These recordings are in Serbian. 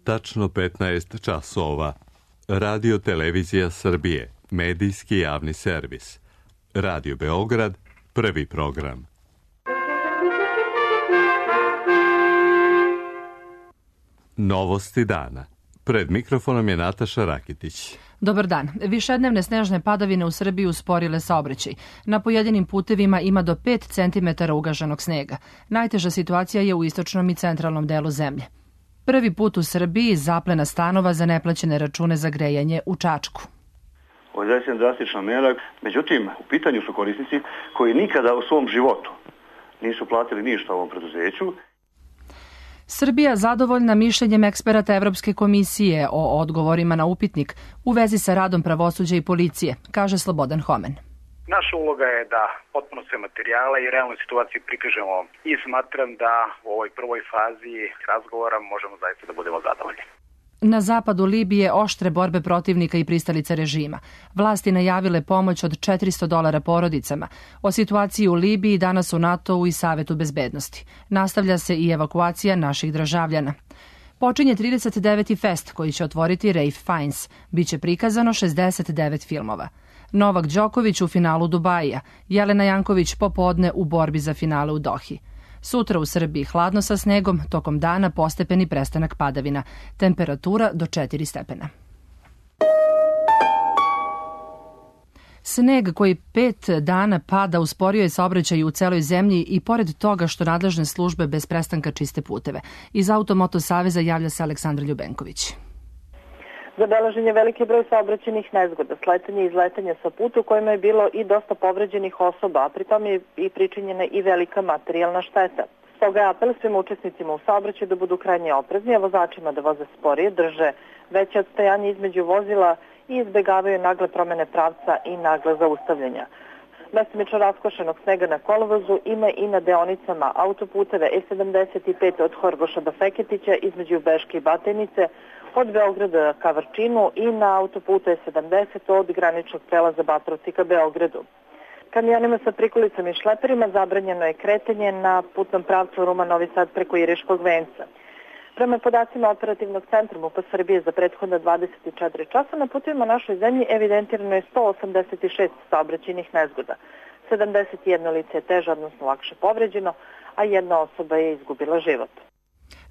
Tačno 15 časova. Radio Televizija Srbije, medijski javni servis. Radio Beograd, prvi program. Novosti dana. Pred mikrofonom je Nataša Rakitić. Dobar dan. Višednevne snežne padavine u Srbiji usporile saobraćaj. Na pojedinim putevima ima do 5 cm ugaženog snega. Najteža situacija je u istočnom i centralnom delu zemlje. Prvi put u Srbiji zaplena stanova za neplaćene račune za grejanje u Čačku. Ovo je zaista drastična mera, međutim, u pitanju su korisnici koji nikada u svom životu nisu platili ništa ovom preduzeću. Srbija zadovoljna mišljenjem eksperata Evropske komisije o odgovorima na upitnik u vezi sa radom pravosuđa i policije, kaže Slobodan Homen. Naša uloga je da potpuno sve materijale i realnu situaciju prikažemo i smatram da u ovoj prvoj fazi razgovora možemo zaista da budemo zadovoljni. Na zapadu Libije oštre borbe protivnika i pristalica režima. Vlasti najavile pomoć od $400 porodicama. O situaciji u Libiji danas u NATO-u i Savetu bezbednosti. Nastavlja se i evakuacija naših državljana. Počinje 39. fest koji će otvoriti Ralph Fiennes. Biće prikazano 69 filmova. Novak Đoković u finalu Dubaija, Jelena Janković popodne u borbi za finale u Dohi. Sutra u Srbiji hladno sa snegom, tokom dana postepeni prestanak padavina. Temperatura do 4 stepena. Sneg koji 5 dana pada usporio je saobraćaj u celoj zemlji i pored toga što nadležne službe bez prestanka čiste puteve. Iz Automoto saveza javlja se Aleksandra Ljubenković. Zabeležen je veliki broj saobraćajnih nezgoda, sletanja i izletanja sa puta u kojima je bilo i dosta povređenih osoba, a pritom je i pričinjena i velika materijalna šteta. Stoga je apel svim učesnicima u saobraćaju da budu krajnje oprezni, a vozačima da voze sporije, drže veće odstajanje između vozila i izbegavaju nagle promene pravca i nagle zaustavljanja. Mestimično raskošenog snega na kolovozu ima i na deonicama autoputeve E75 od Horgoša do Feketića između Beške i Batajnice, od Beograda ka Vrčinu i na autoputu E70 od graničnog prelaza Batrovci ka Beogradu. Kamionima sa prikolicama i šleperima zabranjeno je kretanje na putnom pravcu Ruma-Novi Sad preko Iriškog venca. Prema podacima Operativnog centra MUP Srbije za prethodna 24 časa na putovima našoj zemlji evidentirano je 186 saobraćajnih nezgoda. 71 lice je teže, odnosno lakše povređeno, a jedna osoba je izgubila život.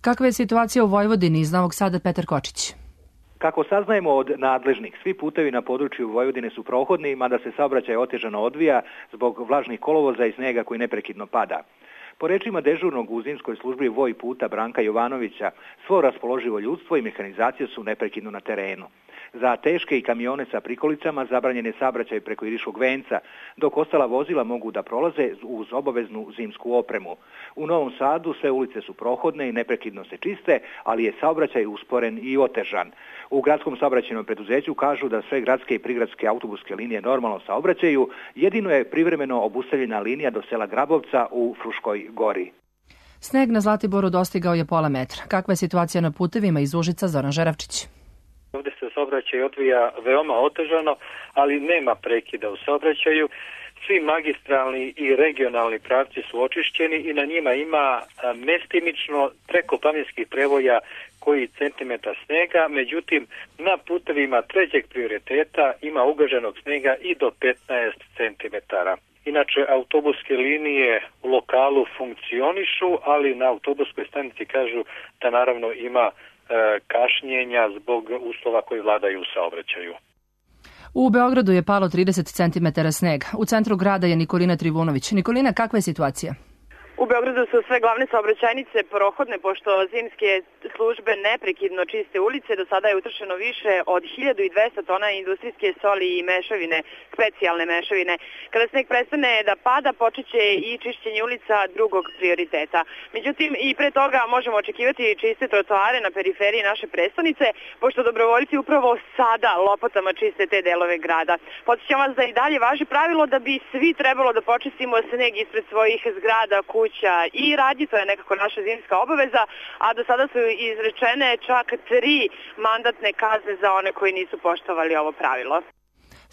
Kakva je situacija u Vojvodini? Iz Novog Sada Petar Kočić. Kako saznajemo od nadležnih, svi putevi na području Vojvodine su prohodni, mada se saobraćaj otežano odvija zbog vlažnih kolovoza i snega koji neprekidno pada. Po rečima dežurnog u zimskoj službi Voj puta Branka Jovanovića, svo raspoloživo ljudstvo i mehanizacija su neprekidno na terenu. Za teške i kamione sa prikolicama zabranjen je saobraćaj preko Iriškog venca, dok ostala vozila mogu da prolaze uz obaveznu zimsku opremu. U Novom Sadu sve ulice su prohodne i neprekidno se čiste, ali je saobraćaj usporen i otežan. U gradskom saobraćajnom preduzeću kažu da sve gradske i prigradske autobuske linije normalno saobraćaju, jedino je privremeno obustavljena linija do sela Grabovca u Fruškoj Gori. Sneg na Zlatiboru dostigao je pola metra. Kakva je situacija na putevima? Iz Užica Zoran Žeravčić. Ovdje se saobraćaj odvija veoma otežano, ali nema prekida u saobraćaju. Svi magistralni i regionalni pravci su očišćeni i na njima ima mestimično preko planinskih prevoja koji centimetar snega, međutim na putevima trećeg prioriteta ima ugaženog snega i do 15 centimetara. Inače, autobuske linije u lokalu funkcionišu, ali na autobuskoj stanici kažu da naravno ima kašnjenja zbog uslova koji vladaju u saobraćaju. U Beogradu je palo 30 cm snega. U centru grada je Nikolina Trivunović. Nikolina, kakva je situacija? U Beogradu su sve glavne saobraćajnice prohodne, pošto zimske službe neprekidno čiste ulice. Do sada je utrošeno više od 1200 tona industrijske soli i mešavine, specijalne mešavine. Kada sneg prestane da pada, počeće i čišćenje ulica drugog prioriteta. Međutim, i pre toga možemo očekivati čiste trotoare na periferiji naše prestonice, pošto dobrovoljci upravo sada lopatama čiste te delove grada. Podsjećam vas da i dalje važi pravilo da bi svi trebalo da počistimo sneg ispred svojih zgrada, kuća i radnji, to je nekako naša zimska obaveza, a do sada su izrečene čak 3 mandatne kazne za one koji nisu poštovali ovo pravilo.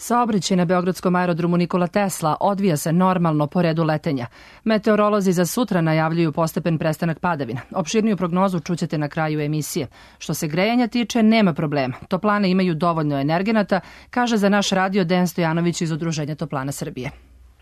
Saobraćaj na beogradskom aerodromu Nikola Tesla odvija se normalno po redu letenja. Meteorolozi za sutra najavljuju postepen prestanak padavina. Opširniju prognozu čućete na kraju emisije. Što se grejanja tiče, nema problema. Toplane imaju dovoljno energenata, kaže za naš radio Dejan Stojanović iz Udruženja toplana Srbije.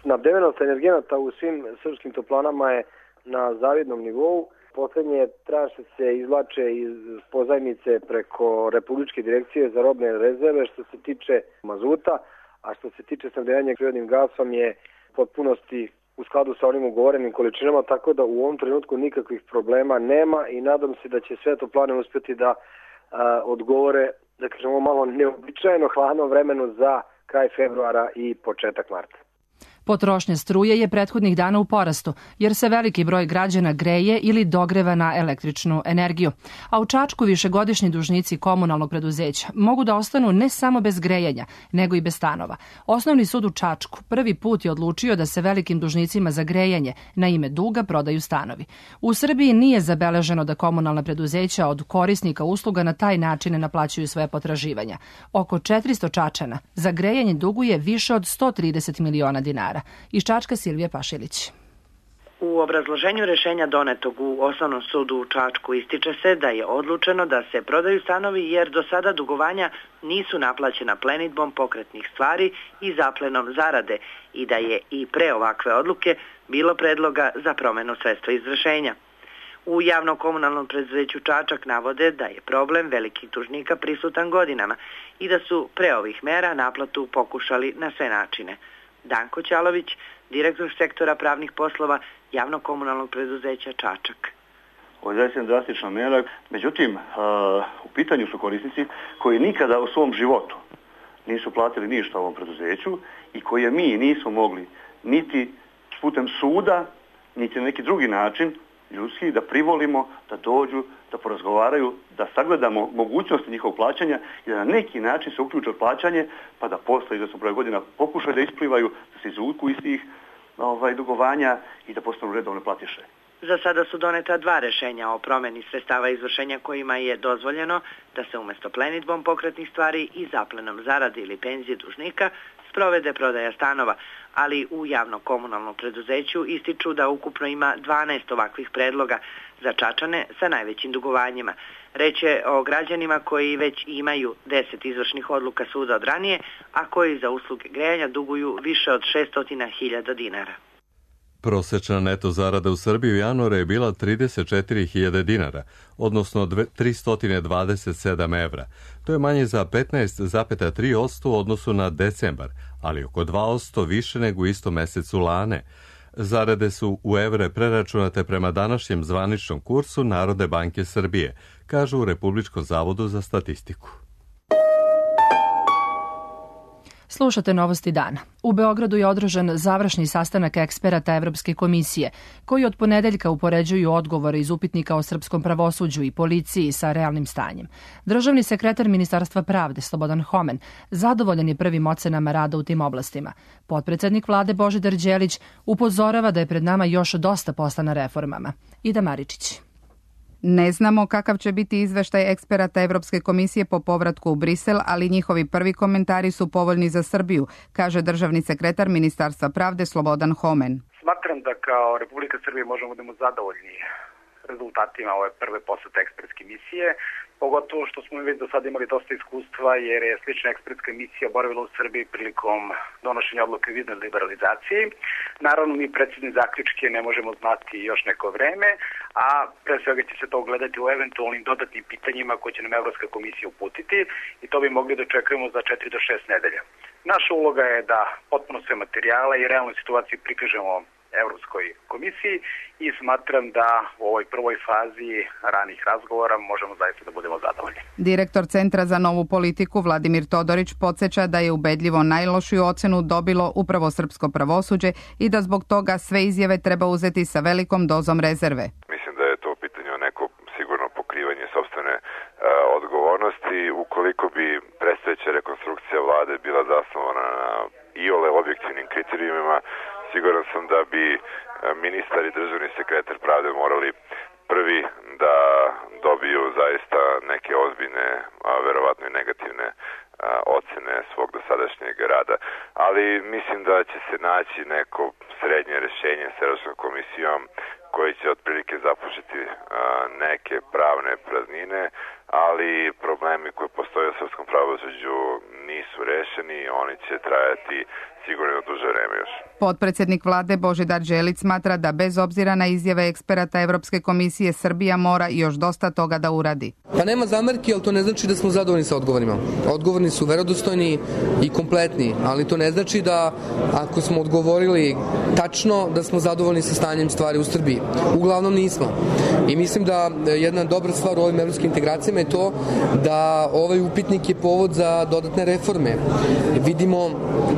Snabdevenost energenata u svim srpskim toplanama je na zavidnom nivou. Poslednje tranše se izvlače iz pozajmice preko Republičke direkcije za robne rezerve što se tiče mazuta, a što se tiče snabdevanja prirodnim gasom je potpunosti u skladu sa onim ugovorenim količinama, tako da u ovom trenutku nikakvih problema nema i nadam se da će sve toplane uspjeti da odgovore, da kažemo malo neobičajeno hladnom vremenu za kraj februara i početak marta. Potrošnja struje je prethodnih dana u porastu, jer se veliki broj građana greje ili dogreva na električnu energiju. A u Čačku višegodišnji dužnici komunalnog preduzeća mogu da ostanu ne samo bez grejanja, nego i bez stanova. Osnovni sud u Čačku prvi put je odlučio da se velikim dužnicima za grejanje na ime duga prodaju stanovi. U Srbiji nije zabeleženo da komunalna preduzeća od korisnika usluga na taj način ne naplaćuju svoje potraživanja. Oko 400 Čačana za grejanje duguje više od 130 miliona dinara. Iz Čačka Silvija Pašilić. U obrazloženju rešenja donetog u Osnovnom sudu u Čačku ističe se da je odlučeno da se prodaju stanovi jer do sada dugovanja nisu naplaćena plenidbom pokretnih stvari i zaplenom zarade i da je i pre ovakve odluke bilo predloga za promenu sredstva iz rešenja. U javno-komunalnom preduzeću Čačak navode da je problem velikih dužnika prisutan godinama i da su pre ovih mera naplatu pokušali na sve načine. Danko Ćalović, direktor sektora pravnih poslova javno-komunalnog preduzeća Čačak. Ovo je zaista drastična mera, međutim, u pitanju su korisnici koji nikada u svom životu nisu platili ništa ovom preduzeću i koje mi nismo mogli niti putem suda, niti na neki drugi način ljudski da privolimo, da dođu, da porazgovaraju, da sagledamo mogućnosti njihovog plaćanja i da na neki način se uključe u plaćanje, pa da posle, da su broj godina pokušaju da isplivaju, da se izvuku iz tih dugovanja i da postanu redovne platiše. Za sada su doneta 2 rešenja o promeni sredstava izvršenja kojima je dozvoljeno da se umesto plenidbom pokretnih stvari i zaplenom zarade ili penzije dužnika sprovede prodaja stanova, ali u javno-komunalnom preduzeću ističu da ukupno ima 12 ovakvih predloga za Čačane sa najvećim dugovanjima. Reč je o građanima koji već imaju 10 izvršnih odluka suda od ranije, a koji za usluge grejanja duguju više od 600.000 dinara. Prosečna neto zarada u Srbiji u januaru je bila 34.000 dinara, odnosno 327 evra. To je manje za 15,3% u odnosu na decembar, ali oko 2% više nego u istom mesecu lane. Zarade su u evre preračunate prema današnjem zvaničnom kursu Narodne banke Srbije, kažu u Republičkom zavodu za statistiku. Slušate Novosti dana. U Beogradu je održan završni sastanak eksperata Evropske komisije, koji od ponedeljka upoređuju odgovore iz upitnika o srpskom pravosuđu i policiji sa realnim stanjem. Državni sekretar Ministarstva pravde Slobodan Homen zadovoljan je prvim ocenama rada u tim oblastima. Potpredsednik vlade Božidar Đelić upozorava da je pred nama još dosta posla na reformama. Ida Maričić. Ne znamo kakav će biti izveštaj eksperata Evropske komisije po povratku u Brisel, ali njihovi prvi komentari su povoljni za Srbiju, kaže državni sekretar Ministarstva pravde Slobodan Homen. Smatram da kao Republika Srbije možemo da budemo zadovoljni rezultatima ove prve posete ekspertske misije, pogotovo što smo već do sada imali dosta iskustva jer je slična ekspertska misija boravila u Srbiji prilikom donošenja odluke o viznoj liberalizaciji. Naravno, mi precizni zaključke ne možemo znati još neko vreme, a pre svega će se to gledati u eventualnim dodatnim pitanjima koje će nam Evropska komisija uputiti i to bi mogli da očekujemo za 4 do 6 nedelja. Naša uloga je da potpuno sve materijale i realnu situaciju prikažemo Evropskoj komisiji i smatram da u ovoj prvoj fazi ranih razgovora možemo zaista da budemo zadovoljni. Direktor Centra za novu politiku Vladimir Todorić podsjeća da je ubedljivo najlošiju ocenu dobilo upravo srpsko pravosuđe i da zbog toga sve izjave treba uzeti sa velikom dozom rezerve. Mislim da je to pitanje o neko sigurno pokrivanje sopstvene odgovornosti. Ukoliko bi predstojeća rekonstrukcija vlade bila zasnovana na iole objektivnim kriterijumima, siguran sam da bi ministar i državni sekretar pravde morali prvi da dobiju zaista neke ozbiljne, verovatno i negativne ocene svog dosadašnjeg rada. Ali mislim da će se naći neko srednje rješenje s Evropskom komisijom koji će otprilike započeti neke pravne praznine, ali problemi koji postoje u srpskom pravosuđu nisu rešeni i oni će trajati sigurno duže vreme još. Potpredsjednik vlade Božidar Đelić smatra da bez obzira na izjave eksperata Evropske komisije Srbija mora još dosta toga da uradi. Pa nema zamerki, ali to ne znači da smo zadovoljni sa odgovorima. Odgovorni su verodostojni i kompletni, ali to ne znači da ako smo odgovorili tačno da smo zadovoljni sa stanjem stvari u Srbiji. Uglavnom nismo. I mislim da jedna dobra stvar u ovim evropskim integracijama je to da ovaj upitnik je povod za dodatne reforme. Vidimo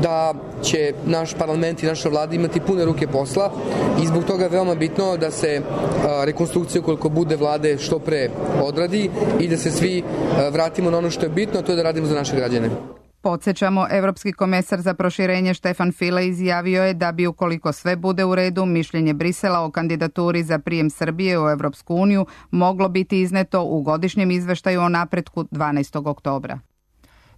da će naš parlament i naša vlada imati pune ruke posla i zbog toga je veoma bitno da se rekonstrukcija koliko bude vlade što pre odradi i da se svi vratimo na ono što je bitno, a to je da radimo za naše građane. Podsjećamo, Evropski komesar za proširenje Štefan File izjavio je da bi, ukoliko sve bude u redu, mišljenje Brisela o kandidaturi za prijem Srbije u Evropsku uniju moglo biti izneto u godišnjem izveštaju o napretku 12. oktobra.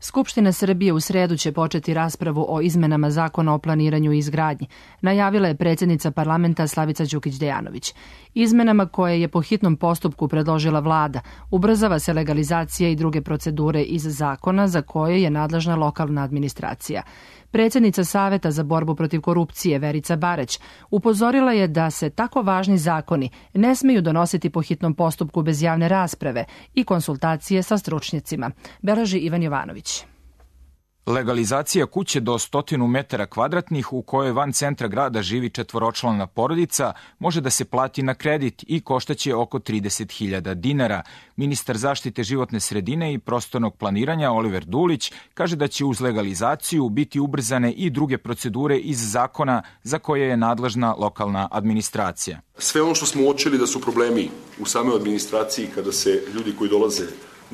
Skupština Srbije u sredu će početi raspravu o izmenama Zakona o planiranju i izgradnji, najavila je predsjednica parlamenta Slavica Đukić Dejanović. Izmenama koje je po hitnom postupku predložila vlada, ubrzava se legalizacija i druge procedure iz zakona za koje je nadležna lokalna administracija. Predsjednica Saveta za borbu protiv korupcije Verica Barać upozorila je da se tako važni zakoni ne smeju donositi po hitnom postupku bez javne rasprave i konsultacije sa stručnjacima. Beleži Ivan Jovanović. Legalizacija kuće do 100 metara kvadratnih u kojoj van centra grada živi četvoročlana porodica može da se plati na kredit i koštaće oko 30.000 dinara. Ministar zaštite životne sredine i prostornog planiranja Oliver Dulić kaže da će uz legalizaciju biti ubrzane i druge procedure iz zakona za koje je nadležna lokalna administracija. Sve ono što smo uočili da su problemi u samoj administraciji kada se ljudi koji dolaze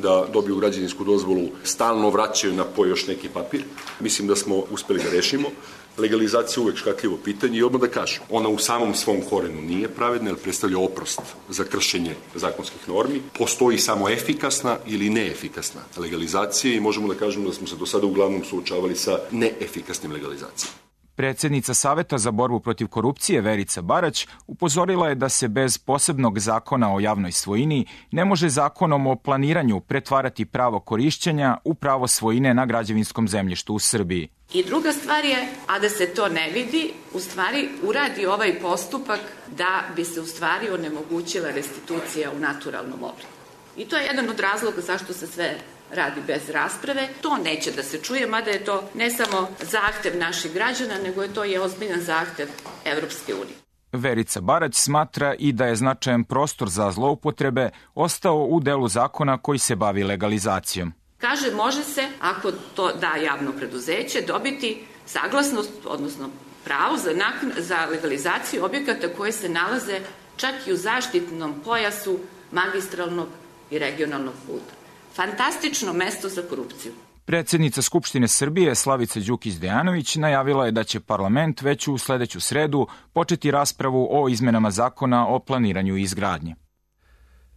da dobiju građevinsku dozvolu stalno vraćaju na po još neki papir. Mislim da smo uspeli da rešimo. Legalizacija je uvek škakljivo pitanje i odmah da kažem, ona u samom svom korenu nije pravedna, jer predstavlja oprost za kršenje zakonskih normi. Postoji samo efikasna ili neefikasna legalizacija i možemo da kažemo da smo se do sada uglavnom suočavali sa neefikasnim legalizacijama. Predsjednica Saveta za borbu protiv korupcije Verica Barać upozorila je da se bez posebnog zakona o javnoj svojini ne može zakonom o planiranju pretvarati pravo korišćenja u pravo svojine na građevinskom zemljištu u Srbiji. I druga stvar je, a da se to ne vidi, u stvari uradi ovaj postupak da bi se u stvari onemogućila restitucija u naturalnom obliku. I to je jedan od razloga zašto se sve radi bez rasprave. To neće da se čuje, mada je to ne samo zahtev naših građana, nego je to i ozbiljan zahtev Evropske unije. Verica Barać smatra i da je značajan prostor za zloupotrebe ostao u delu zakona koji se bavi legalizacijom. Kaže, može se, ako to da javno preduzeće, dobiti saglasnost, odnosno pravo za legalizaciju objekata koje se nalaze čak i u zaštitnom pojasu magistralnog i regionalnog puta. Fantastično mesto za korupciju. Predsjednica Skupštine Srbije Slavica Đukić Dejanović najavila je da će parlament već u sledeću sredu početi raspravu o izmenama zakona o planiranju i izgradnji.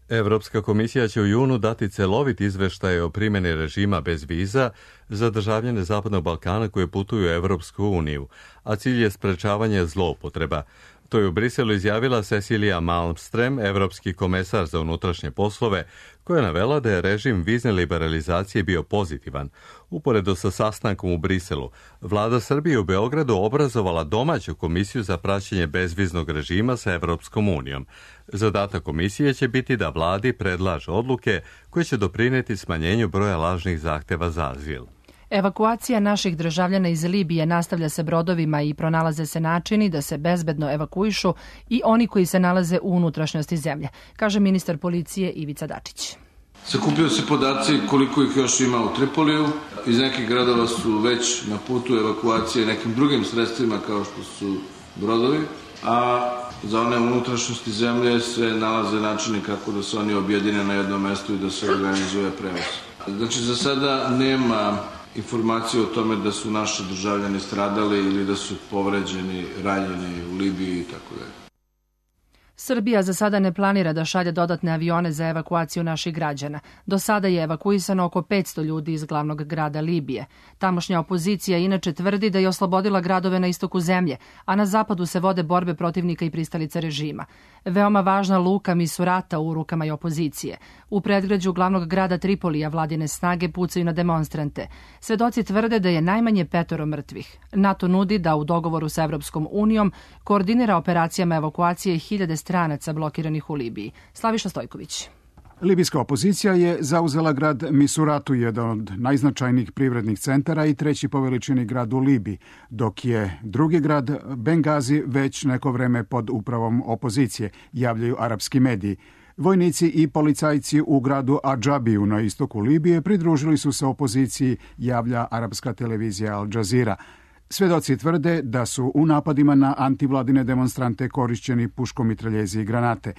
Evropska komisija će u junu dati celovit izveštaj o primjeni režima bez viza za državljane Zapadnog Balkana koje putuju u Evropsku uniju, a cilj je sprečavanje zloupotreba. To je u Briselu izjavila Cecilia Malmström, evropski komesar za unutrašnje poslove, koja je navela da je režim vizne liberalizacije bio pozitivan. Uporedo sa sastankom u Briselu, vlada Srbije u Beogradu obrazovala domaću komisiju za praćenje bezviznog režima sa Evropskom unijom. Zadatak komisije će biti da vladi predlaže odluke koje će doprineti smanjenju broja lažnih zahteva za azil. Evakuacija naših državljana iz Libije nastavlja se brodovima i pronalaze se načini da se bezbedno evakuišu i oni koji se nalaze u unutrašnjosti zemlje, kaže ministar policije Ivica Dačić. Sakupljaju se podaci koliko ih još ima u Tripoliju. Iz nekih gradova su već na putu evakuacije nekim drugim sredstvima kao što su brodovi, a za one unutrašnjosti zemlje se nalaze načini kako da se oni objedine na jednom mestu i da se organizuje prevoz. Znači, za sada nema informacije o tome da su naši državljani stradali ili da su povređeni, ranjeni u Libiji i tako dalje. Srbija za sada ne planira da šalje dodatne avione za evakuaciju naših građana. Do sada je evakuisano oko 500 ljudi iz glavnog grada Libije. Tamošnja opozicija inače tvrdi da je oslobodila gradove na istoku zemlje, a na zapadu se vode borbe protivnika i pristalica režima. Veoma važna luka Misurata u rukama je opozicije. U predgrađu glavnog grada Tripolija vladine snage pucaju na demonstrante. Svedoci tvrde da je najmanje 5 mrtvih. NATO nudi da u dogovoru sa Evropskom unijom koordinira operacijama evakuacije 1000 stranaca blokiranih u Libiji. Slaviša Stojković. Libijska opozicija je zauzela grad Misuratu, jedan od najznačajnijih privrednih centara i 3. po veličini grad u Libiji, dok je drugi grad Bengazi već neko vreme pod upravom opozicije, javljaju arapski mediji. Vojnici i policajci u gradu Adžabiju na istoku Libije pridružili su se opoziciji, javlja arapska televizija Al Jazeera. Svedoci tvrde da su u napadima na antivladine demonstrante korišćeni puškomitraljezi i granate.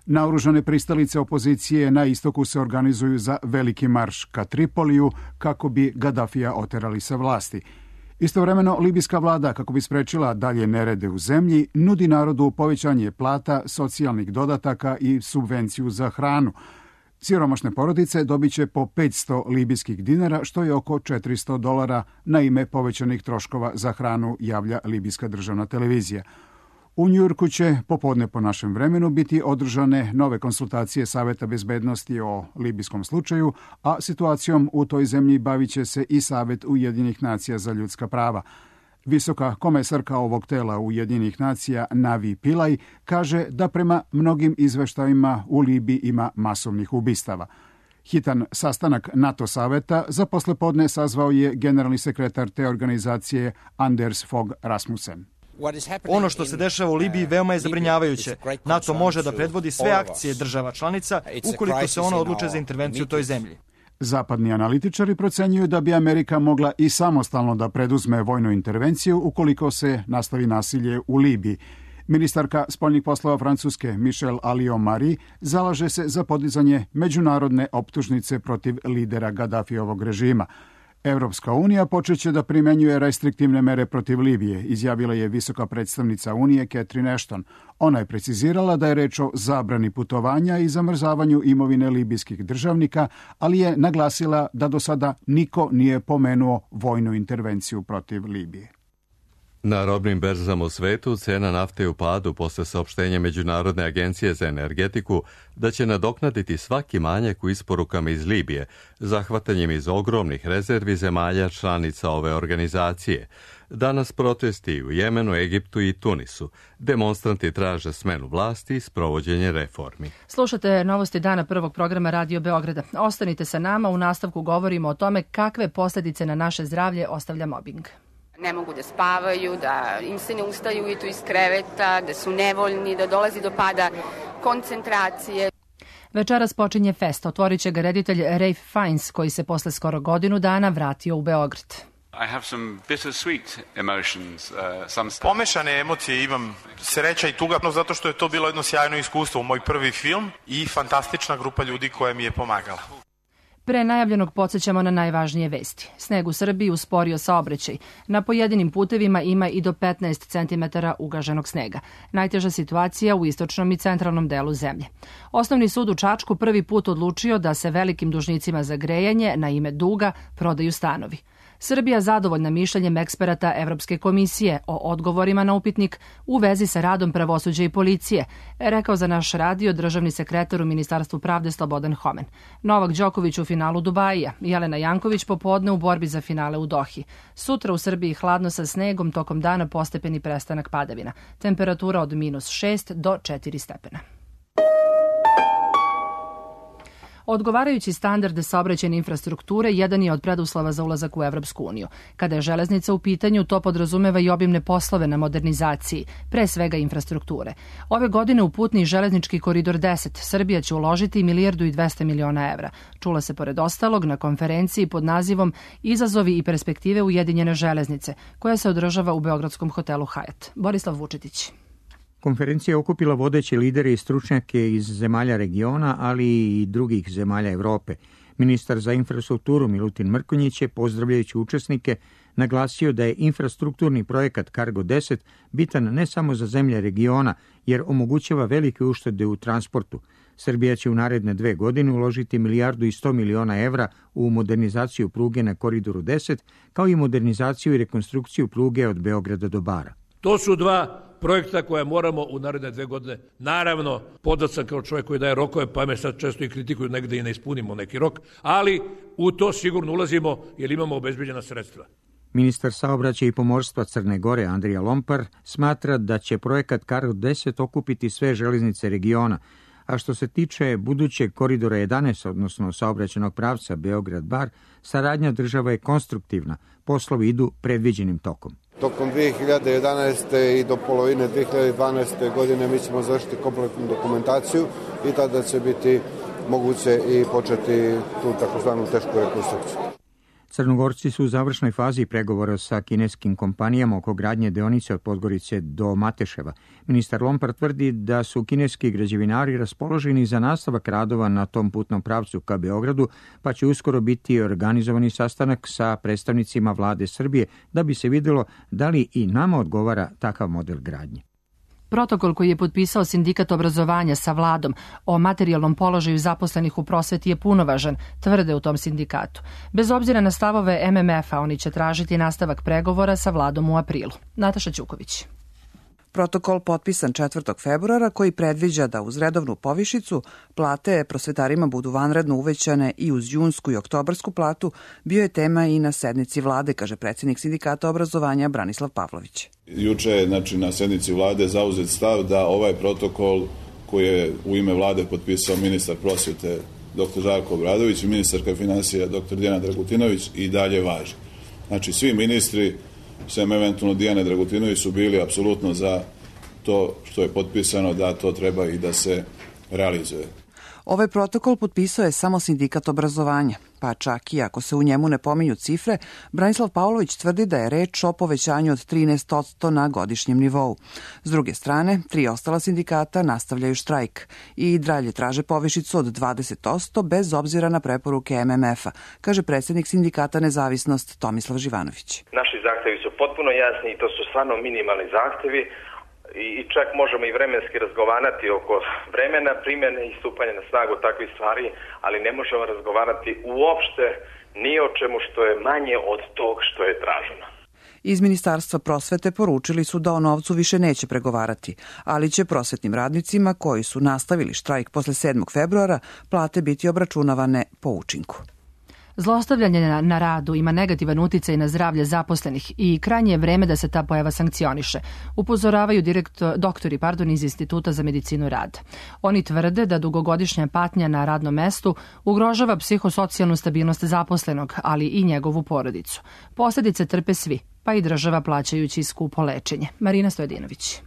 Naoružane pristalice opozicije na istoku se organizuju za veliki marš ka Tripoliju kako bi Gadafija oterali sa vlasti. Istovremeno, libijska vlada, kako bi sprečila dalje nerede u zemlji, nudi narodu povećanje plata, socijalnih dodataka i subvenciju za hranu. Siromašne porodice dobit će po 500 libijskih dinara, što je oko $400 na ime povećanih troškova za hranu, javlja libijska državna televizija. U Njujorku će popodne po našem vremenu biti održane nove konsultacije Saveta bezbednosti o libijskom slučaju, a situacijom u toj zemlji bavit će se i Savet Ujedinjenih nacija za ljudska prava. Visoka komesarka ovog tela Ujedinjenih nacija Navi Pillay kaže da prema mnogim izveštajima u Libiji ima masovnih ubistava. Hitan sastanak NATO saveta za poslepodne sazvao je generalni sekretar te organizacije Anders Fogh Rasmussen. Ono što se dešava u Libiji veoma je zabrinjavajuće. NATO može da predvodi sve akcije država članica ukoliko se ona odluče za intervenciju u toj zemlji. Zapadni analitičari procenjuju da bi Amerika mogla i samostalno da preduzme vojnu intervenciju ukoliko se nastavi nasilje u Libiji. Ministarka spoljnih poslova Francuske Michelle Alliot-Marie zalaže se za podizanje međunarodne optužnice protiv lidera Gaddafijevog režima. Evropska unija počeće da primenjuje restriktivne mere protiv Libije, izjavila je visoka predstavnica Unije Catherine Ashton. Ona je precizirala da je reč o zabrani putovanja i zamrzavanju imovine libijskih državnika, ali je naglasila da do sada niko nije pomenuo vojnu intervenciju protiv Libije. Na robnim berzama u svetu cena nafte je u padu posle saopštenja Međunarodne agencije za energetiku da će nadoknaditi svaki manjak u isporukama iz Libije, zahvatanjem iz ogromnih rezervi zemalja članica ove organizacije. Danas protesti u Jemenu, Egiptu i Tunisu. Demonstranti traže smenu vlasti i sprovođenje reformi. Slušate novosti dana prvog programa Radio Beograda. Ostanite sa nama, u nastavku govorimo o tome kakve posljedice na naše zdravlje ostavlja mobing. Ne mogu da spavaju, da im se ne ustaju ujutru iz kreveta, da su nevoljni, da dolazi do pada koncentracije. Večeras počinje fest. Otvorit će ga reditelj Ralph Fiennes, koji se posle skoro godinu dana vratio u Beograd. Pomešane emocije imam, sreća i tuga, zato što je to bilo jedno sjajno iskustvo, moj prvi film i fantastična grupa ljudi koja mi je pomagala. Pre najavljenog podsjećamo na najvažnije vesti. Sneg u Srbiji usporio saobraćaj. Na pojedinim putevima ima i do 15 cm ugaženog snega. Najteža situacija u istočnom i centralnom delu zemlje. Osnovni sud u Čačku prvi put odlučio da se velikim dužnicima za grejanje na ime duga prodaju stanovi. Srbija zadovoljna mišljenjem eksperata Evropske komisije o odgovorima na upitnik u vezi sa radom pravosuđa i policije, rekao za naš radio državni sekretar u Ministarstvu pravde Slobodan Homen. Novak Đoković u finalu Dubaija, Jelena Janković popodne u borbi za finale u Dohi. Sutra u Srbiji hladno sa snegom, tokom dana postepeni prestanak padavina. Temperatura od -6 do 4 stepena. Odgovarajući standard saobraćajne infrastrukture jedan je od preduslova za ulazak u Evropsku uniju. Kada je železnica u pitanju, to podrazumeva i obimne poslove na modernizaciji, pre svega infrastrukture. Ove godine u putni železnički koridor 10 Srbija će uložiti 1,2 milijarde evra. Čula se pored ostalog na konferenciji pod nazivom Izazovi i perspektive Ujedinjene železnice, koja se održava u beogradskom hotelu Hyatt. Borislav Vučetić. Konferencija je okupila vodeće lidere i stručnjake iz zemalja regiona, ali i drugih zemalja Evrope. Ministar za infrastrukturu Milutin Mrkonjić je, pozdravljajući učesnike, naglasio da je infrastrukturni projekat Cargo 10 bitan ne samo za zemlje regiona, jer omogućava velike uštede u transportu. Srbija će u naredne 2 godine uložiti 1,1 milijardu evra u modernizaciju pruge na Koridoru 10, kao i modernizaciju i rekonstrukciju pruge od Beograda do Bara. To su 2 projekta koje moramo u naredne 2 godine. Naravno, podat sam kao čovjek koji daje rokove, pa me sad često i kritikuju negde i ne ispunimo neki rok, ali u to sigurno ulazimo jer imamo obezbeđena sredstva. Ministar saobraćaja i pomorstva Crne Gore Andrija Lompar smatra da će projekat Cargo 10 okupiti sve železnice regiona, a što se tiče budućeg koridora 11, odnosno saobraćajnog pravca Beograd-Bar, saradnja država je konstruktivna, poslovi idu predviđenim tokom. Tokom 2011. i do polovine 2012. godine mi ćemo završiti kompletnu dokumentaciju i tada će biti moguće i početi tu takozvanu tešku rekonstrukciju. Crnogorci su u završnoj fazi pregovora sa kineskim kompanijama oko gradnje deonice od Podgorice do Mateševa. Ministar Lompar tvrdi da su kineski građevinari raspoloženi za nastavak radova na tom putnom pravcu ka Beogradu, pa će uskoro biti organizovani sastanak sa predstavnicima vlade Srbije da bi se vidjelo da li i nama odgovara takav model gradnje. Protokol koji je potpisao Sindikat obrazovanja sa vladom o materijalnom položaju zaposlenih u prosveti je punovažan, tvrde u tom sindikatu. Bez obzira na stavove MMF-a, oni će tražiti nastavak pregovora sa vladom u aprilu. Nataša Ćuković. Protokol potpisan 4. februara koji predviđa da uz redovnu povišicu plate prosvetarima budu vanredno uvećane i uz junsku i oktobarsku platu bio je tema i na sednici vlade, kaže predsjednik Sindikata obrazovanja Branislav Pavlović. Juče je na sednici vlade zauzet stav da ovaj protokol koji je u ime vlade potpisao ministar prosvete dr. Žarko Obradović i ministarka financija dr. Dijana Dragutinović i dalje važi. Znači svi ministri sem eventualno Dijane Dragutinović su bili apsolutno za to što je potpisano da to treba i da se realizuje. Ovaj protokol potpisao je samo Sindikat obrazovanja, pa čak i ako se u njemu ne pominju cifre, Branislav Pavlović tvrdi da je reč o povećanju od 13% na godišnjem nivou. S druge strane, 3 ostala sindikata nastavljaju štrajk i dalje traže povišicu od 20% bez obzira na preporuke MMF-a, kaže predsjednik Sindikata Nezavisnost Tomislav Živanović. Naši zahtevi su potpuno jasni i to su stvarno minimalni zahtevi. I čak možemo i vremenski razgovarati oko vremena primjene i stupanja na snagu takvih stvari, ali ne možemo razgovarati uopšte ni o čemu što je manje od tog što je traženo. Iz Ministarstva prosvete poručili su da o novcu više neće pregovarati, ali će prosvetnim radnicima koji su nastavili štrajk posle 7. februara plate biti obračunavane po učinku. Zlostavljanje na radu ima negativan uticaj na zdravlje zaposlenih i krajnje je vreme da se ta pojava sankcioniše, upozoravaju doktori iz Instituta za medicinu rada. Oni tvrde da dugogodišnja patnja na radnom mestu ugrožava psihosocijalnu stabilnost zaposlenog, ali i njegovu porodicu. Posljedice trpe svi, pa i država plaćajući skupo lečenje. Marina Stojedinović.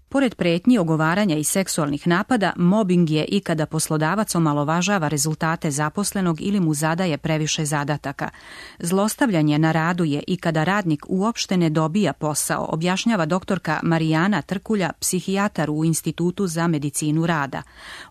Pored pretnji, ogovaranja i seksualnih napada, mobing je i kada poslodavac omalovažava rezultate zaposlenog ili mu zadaje previše zadataka. Zlostavljanje na radu je i kada radnik uopšte ne dobija posao, objašnjava doktorka Marijana Trkulja, psihijatar u Institutu za medicinu rada.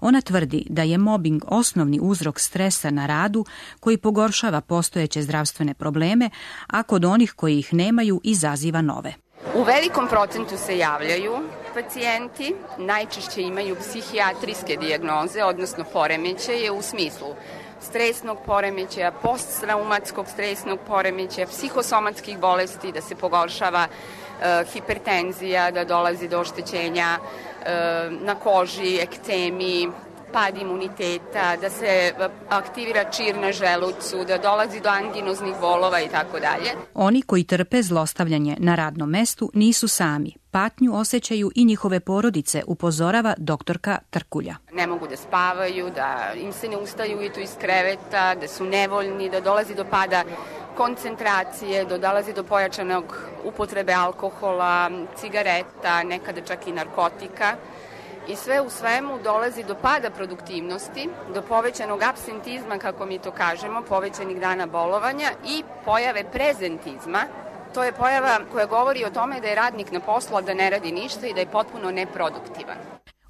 Ona tvrdi da je mobing osnovni uzrok stresa na radu koji pogoršava postojeće zdravstvene probleme, a kod onih koji ih nemaju izaziva nove. U velikom procentu se javljaju pacijenti, najčešće imaju psihijatrijske dijagnoze, odnosno poremećaje u smislu stresnog poremećaja, posttraumatskog stresnog poremećaja, psihosomatskih bolesti, da se pogoršava hipertenzija, da dolazi do oštećenja na koži, ekcemi, pad imuniteta, da se aktivira čir na želucu, da dolazi do anginoznih bolova i tako dalje. Oni koji trpe zlostavljanje na radnom mestu nisu sami. Patnju osjećaju i njihove porodice, upozorava doktorka Trkulja. Ne mogu da spavaju, da im se ne ustaju ujutru iz kreveta, da su nevoljni, da dolazi do pada koncentracije, da dolazi do pojačanog upotrebe alkohola, cigareta, nekada čak i narkotika. I sve u svemu dolazi do pada produktivnosti, do povećanog apsentizma, kako mi to kažemo, povećanih dana bolovanja i pojave prezentizma. To je pojava koja govori o tome da je radnik na poslu, a da ne radi ništa i da je potpuno neproduktivan.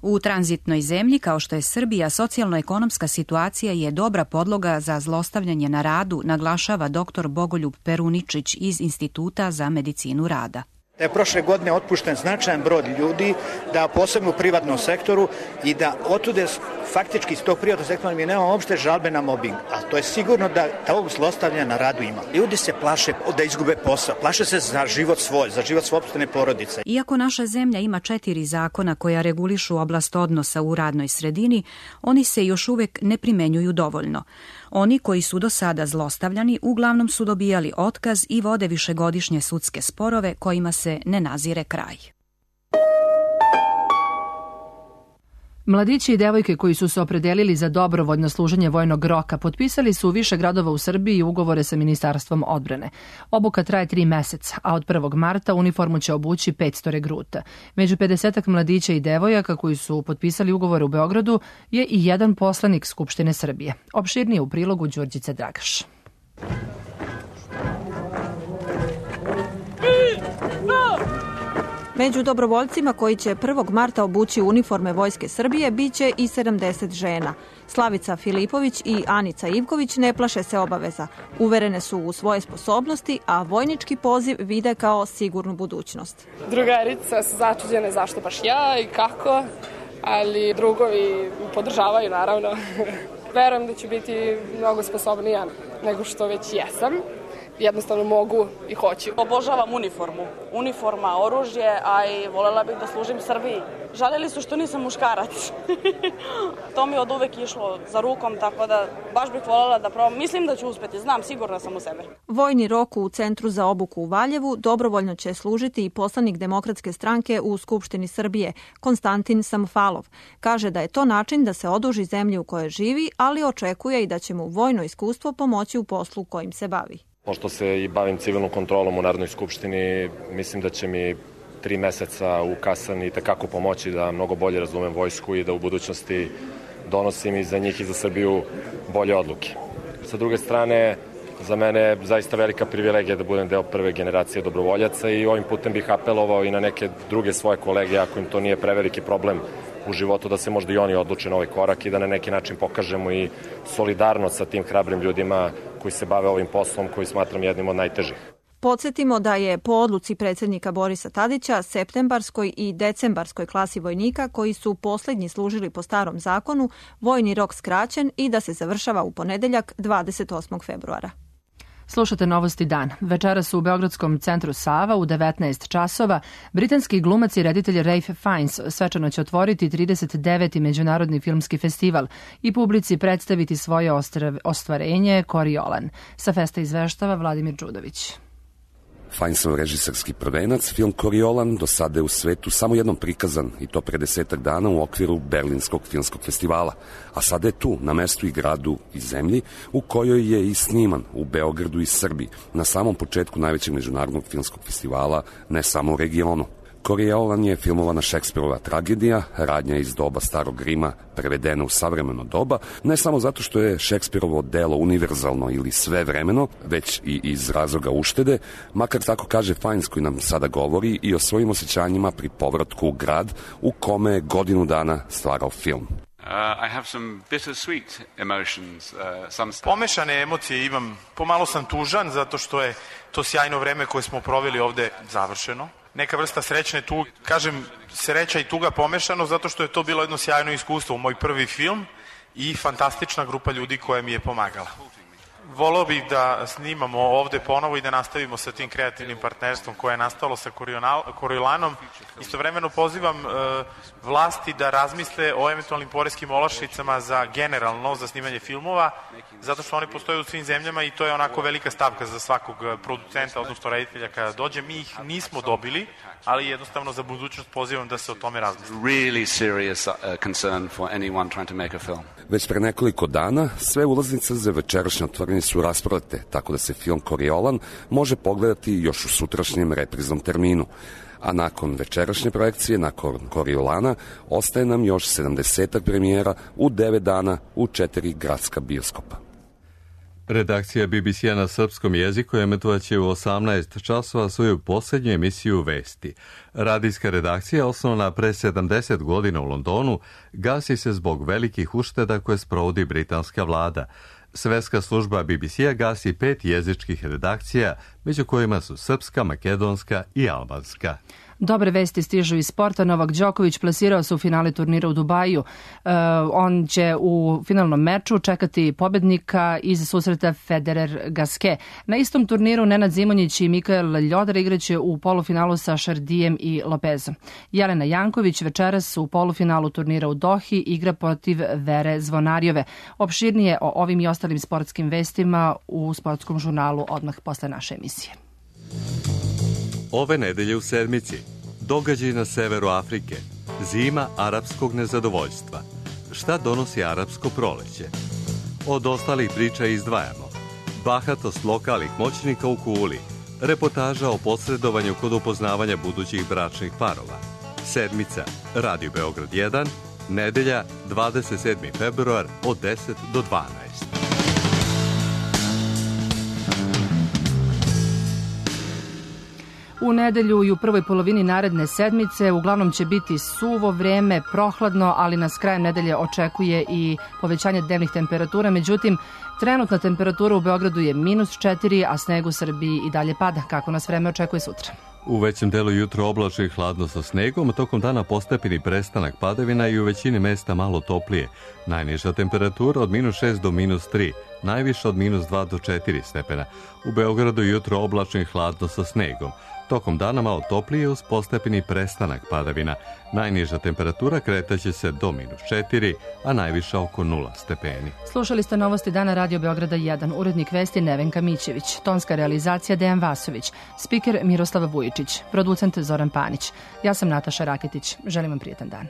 U tranzitnoj zemlji kao što je Srbija, socijalno-ekonomska situacija je dobra podloga za zlostavljanje na radu, naglašava dr. Bogoljub Peruničić iz Instituta za medicinu rada. Da je prošle godine otpušten značajan broj ljudi, da posebno u privatnom sektoru i da otude faktički iz tog privatnog sektora mi nemamo uopšte žalbe na mobbing. A to je sigurno da ovog zlostavljanja na radu ima. Ljudi se plaše da izgube posao, plaše se za život svoj, za život sopstvene porodice. Iako naša zemlja ima 4 zakona koja regulišu oblast odnosa u radnoj sredini, oni se još uvek ne primenjuju dovoljno. Oni koji su do sada zlostavljani uglavnom su dobijali otkaz i vode višegodišnje sudske sporove kojima se ne nazire kraj. Mladići i devojke koji su se opredelili za dobrovoljno služenje vojnog roka potpisali su u više gradova u Srbiji ugovore sa Ministarstvom odbrane. Obuka traje 3 meseca, a od 1. marta uniformu će obući 500 regruta. Među 50 mladića i devojaka koji su potpisali ugovore u Beogradu je i jedan poslanik Skupštine Srbije. Opširnije u prilogu Đurđice Dragaš. Među dobrovoljcima koji će 1. marta obući uniforme Vojske Srbije biće i 70 žena. Slavica Filipović i Anica Ivković ne plaše se obaveza. Uverene su u svoje sposobnosti, a vojnički poziv vide kao sigurnu budućnost. Drugarice su začuđene zašto baš ja i kako, ali drugovi podržavaju naravno. Verujem da ću biti mnogo sposobnija nego što već jesam. Jednostavno mogu i hoću. Obožavam uniformu. Uniforma, oružje, a i volela bih da služim Srbiji. Žalili su što nisam muškarac. To mi od uvek išlo za rukom, tako da baš bih volela da probam. Mislim da ću uspeti, znam, sigurna sam u sebe. Vojni rok u Centru za obuku u Valjevu dobrovoljno će služiti i poslanik Demokratske stranke u Skupštini Srbije, Konstantin Samofalov. Kaže da je to način da se oduži zemlji u kojoj živi, ali očekuje i da će mu vojno iskustvo pomoći u poslu kojim se bavi. Pošto se i bavim civilnom kontrolom u Narodnoj skupštini, mislim da će mi 3 meseca u kasarni itekako pomoći da mnogo bolje razumem vojsku i da u budućnosti donosim i za njih i za Srbiju bolje odluke. Sa druge strane, za mene je zaista velika privilegija da budem deo prve generacije dobrovoljaca i ovim putem bih apelovao i na neke druge svoje kolege, ako im to nije preveliki problem u životu, da se možda i oni odluče na ovaj korak i da na neki način pokažemo i solidarnost sa tim hrabrim ljudima koji se bave ovim poslom koji smatram jednim od najtežih. Podsjetimo da je po odluci predsjednika Borisa Tadića septembarskoj i decembarskoj klasi vojnika koji su posljednji služili po starom zakonu vojni rok skraćen i da se završava u ponedeljak 28. februara. Slušate Novosti dan. Večeras u Beogradskom centru Sava u 19 časova britanski glumac i reditelj Ralph Fiennes svečano će otvoriti 39. Međunarodni filmski festival i publici predstaviti svoje ostvarenje Coriolan. Sa festa izveštava Vladimir Đudović. Fiennesov režiserski prvenac, film Coriolan, do sada je u svetu samo jednom prikazan i to pre 10 dana u okviru Berlinskog filmskog festivala, a sada je tu, na mestu i gradu i zemlji u kojoj je i sniman, u Beogradu i Srbiji, na samom početku najvećeg međunarodnog filmskog festivala, ne samo u regionu. Coriolan je filmovana Šekspirova tragedija, radnja iz doba Starog Rima, prevedena u savremeno doba, ne samo zato što je Šekspirovo delo univerzalno ili svevremeno, već i iz razloga uštede, makar tako kaže Fiennes koji nam sada govori i o svojim osjećanjima pri povratku u grad u kome je godinu dana stvarao film. I have some bittersweet emotions. Pomešane emocije imam. Pomalo sam tužan zato što je to sjajno vreme koje smo proveli ovde završeno. Neka vrsta srećne tuge. Kažem, sreća i tuga pomešano zato što je to bilo jedno sjajno iskustvo. Moj prvi film i fantastična grupa ljudi koja mi je pomagala. Voleo bih da snimamo ovde ponovo i da nastavimo sa tim kreativnim partnerstvom koje je nastalo sa Coriolanom. Istovremeno pozivam vlasti da razmisle o eventualnim poreskim olakšicama za generalno za snimanje filmova, zato što oni postoje u svim zemljama i to je onako velika stavka za svakog producenta, odnosno reditelja kada dođe. Mi ih nismo dobili, ali jednostavno za budućnost pozivam da se o tome razmisli. Really serious concern for anyone trying to make a film. Već pre nekoliko dana sve ulaznice za večerašnje otvorenje su rasprodate, tako da se film Coriolan može pogledati još u sutrašnjem repriznom terminu. A nakon večerašnje projekcije, nakon Coriolana, ostaje nam još 70 premijera u 9 dana u 4 gradska bioskopa. Redakcija BBC-a na srpskom jeziku emitovaće u 18 časova svoju posljednju emisiju Vesti. Radijska redakcija, osnovana pre 70 godina u Londonu, gasi se zbog velikih ušteda koje sprovodi britanska vlada. Svetska služba BBC-a gasi 5 jezičkih redakcija, među kojima su srpska, makedonska i albanska. Dobre vesti stižu iz sporta. Novak Đoković plasirao se u finale turnira u Dubaju. On će u finalnom meču čekati pobednika iz susreta Federer-Gasquet. Na istom turniru Nenad Zimonjić i Mikael Ljodar igraće u polufinalu sa Šardijem i Lopezom. Jelena Janković večeras u polufinalu turnira u Dohi igra protiv Vere Zvonarjove. Opširnije o ovim i ostalim sportskim vestima u sportskom žurnalu odmah posle naše emisije. Ove nedelje u sedmici, događaj na severu Afrike, zima arapskog nezadovoljstva. Šta donosi arapsko proleće? Od ostalih priča izdvajamo bahatost lokalnih moćnika u Kuli, reportaža o posredovanju kod upoznavanja budućih bračnih parova. Sedmica, Radio Beograd 1, nedelja 27. februar od 10 do 12. U nedelju i u prvoj polovini naredne sedmice uglavnom će biti suvo vreme, prohladno, ali nas krajem nedelje očekuje i povećanje dnevnih temperatura. Međutim, trenutna temperatura u Beogradu je -4, a sneg u Srbiji i dalje pada. Kako nas vreme očekuje sutra? U većem delu jutro oblačno i hladno sa snegom, tokom dana postepeni prestanak padavina i u većini mesta malo toplije. Najniža temperatura od -6 do -3, najviša od -2 do 4 stepena. U Beogradu jutro oblačno i hladno sa snegom. Tokom dana malo toplije uz postepeni prestanak padavina. Najniža temperatura kretaće se do -4, a najviša oko 0 stepeni. Slušali ste novosti dana Radio Beograda 1, urednik vesti Nevenka Mićević, tonska realizacija Dejan Vasović, spiker Miroslav Vujičić, producent Zoran Panić. Ja sam Nataša Raketić. Želim vam prijetan dan.